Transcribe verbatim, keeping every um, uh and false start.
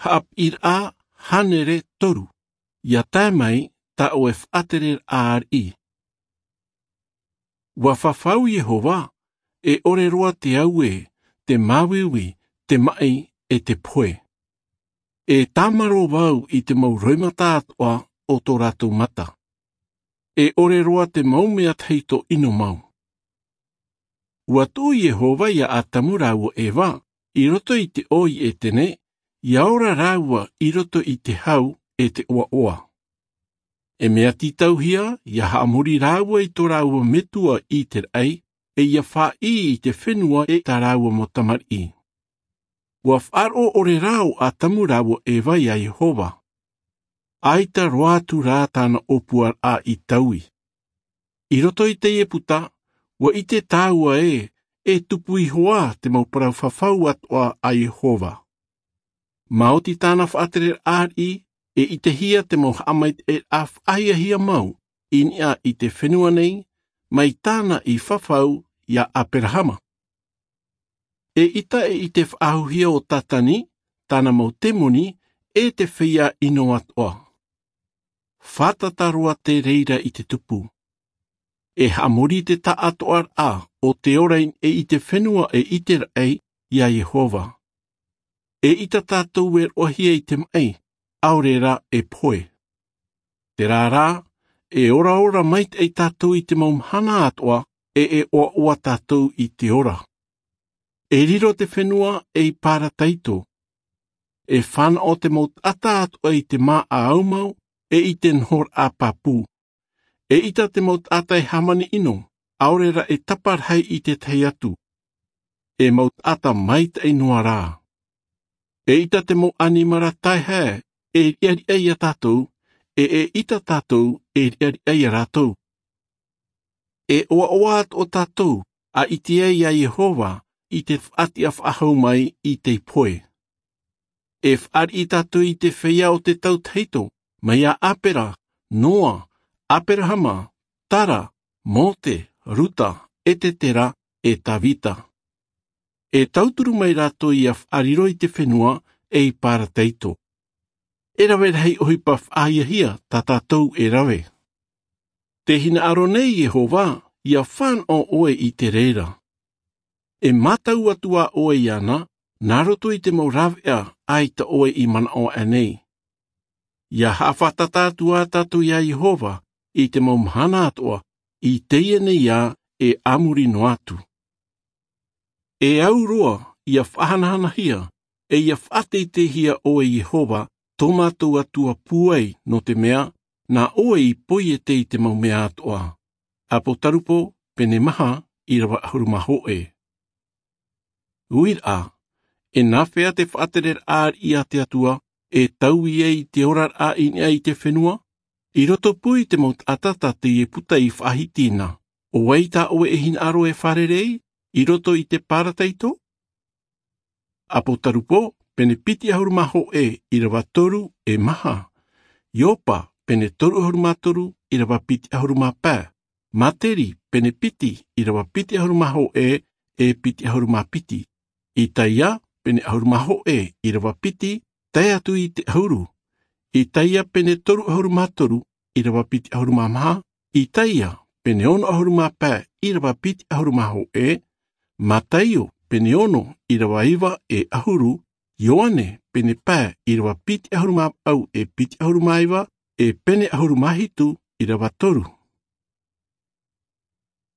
Haʻapiʻiraʻa hānere toru. Ia tae mai tā ʻoe faʻatereraʻa ariʻi. Ua fafau Iehova, e ʻore roa te auē, te māuiui, te maʻi, e te pohe. E tāmarō vau i te mau roimata atoʻa o tō rātou mata. E ʻore roa te mau mea tahito ʻino mau. Ua tuʻu Iehova ia Atamu rāua Eva i roto i te ʻō i Etene, ia ora rāua i roto i te hau e te ʻoaʻoa. E mea tītauhia, ia haʻamori rāua i tō rāua metua i te raʻi, e ia faʻaʻī i te fenua e tā rāua mau tamariʻi. Ua faʻaroʻo ʻore rā ʻo Atamu rāua Eva ia Iehova. ʻAita roa atu rā tāna ʻōpuaraʻa i taui. I roto i teie puta, ua ʻite tāua ē, e tupu iho ā te mau parau fafau atoʻa a Iehova. Maoti tāna faʻatereraʻa ariʻi, e ʻitehia te mau haʻamaitaʻiraʻa faʻahiahia mau i niʻa i te fenua nei, mai tāna i fafau ia Aperahama. E ʻita e ʻite faʻahouhia ʻo Tātani, tāna mau temoni, e te feiā ʻino atoʻa. Fātata roa te reira i te tupu. E haʻamori te taʻatoʻaraʻa o te ora i niʻa i te fenua e i te raʻi ia Iehova. E ʻita tātou e roʻohia i te maʻi, ʻaore rā e pohe. Terā rā, e oraora maitaʻi tātou i te mau mahana atoʻa, e e ʻoaʻoa tātou i te ora. E riro te fenua ei parataito. E fānaʻo te mau taʻata atoʻa i te māʻa aumau, e i te nohoraʻa pāpū. E ʻita te mau taʻata e hāmani ʻino, ʻaore rā e taparahi i te tahi atu. E mau taʻata maitaʻi noa rā. E ʻita te mau ʻanimara taihae, e riʻariʻa ia tātou, e e ʻita tātou, e riʻariʻa ia rātou. E ʻoaʻoa atoʻa tātou, a ʻite ai ia Iehova, i te faʻatiʻa faʻahou mai i te pohe. E fāriʻi tātou i te feiā o te tau tahito, mai iā Apera, Noa, Aperahama, Tara, Mōte, Ruta, Etetera, e Tāvita. E tauturu mai rātou ia faʻariro i te fenua, ei parataito. E rave rahi ʻohipa faʻahiahia tā tātou e rave. Tē hinaʻaro nei Iehova, ia fānaʻo ʻoe i te reira. E mātau atu ā ʻoe iāna, nā roto i te mau rāveʻa ʻaita ʻoe i manaʻo aʻe nei. Ia haʻafātata atu ā tātou iā Iehova, i te mau mahana atoʻa, i teie nei ā e a muri noa atu. E au roa, ia faʻahanahanahia, e ia faʻateiteihia ʻoe Iehova, tō mātou Atua pūai, nō te mea, nā ʻoe i poiete i te mau mea atoʻa. ʻApotarupo, pene maha, ʻīrava ʻahuru mā hōʻē. Uiraʻa, e nāfea te faʻatereraʻa ariʻi a te Atua, e taui ai i te oraraʻa i niʻa i te fenua, i roto pū i te mau taʻata tā teie puta i faʻahiti na, ʻo vai tā ʻoe e hinaʻaro e fārerei, i roto i te parataito? ʻApotarupo, pene piti ʻahuru mā hōʻē, ʻīrava toru, e maha. Iopa, pene toru ʻahuru mā toru, ʻīrava piti ʻahuru mā pae. Materi, pene piti, ʻīrava piti ʻahuru mā hōʻē, e piti ʻahuru mā piti. Isaia, pene ʻahuru mā hōʻē, ʻīrava piti, tae atu i te ʻahuru. Isaia, pene toru ʻahuru mā toru, ʻīrava piti ʻahuru mā maha. Isaia, pene ono ʻahuru mā pae, ʻīrava piti ʻahuru mā hōʻē. Mataio, pene ono, ʻīrava iva e ʻahuru. Ioane, pene pae, ʻīrava piti ʻahuru mā vaʻu e piti ʻahuru mā iva, e pene ʻahuru mā hitu, ʻīrava toru.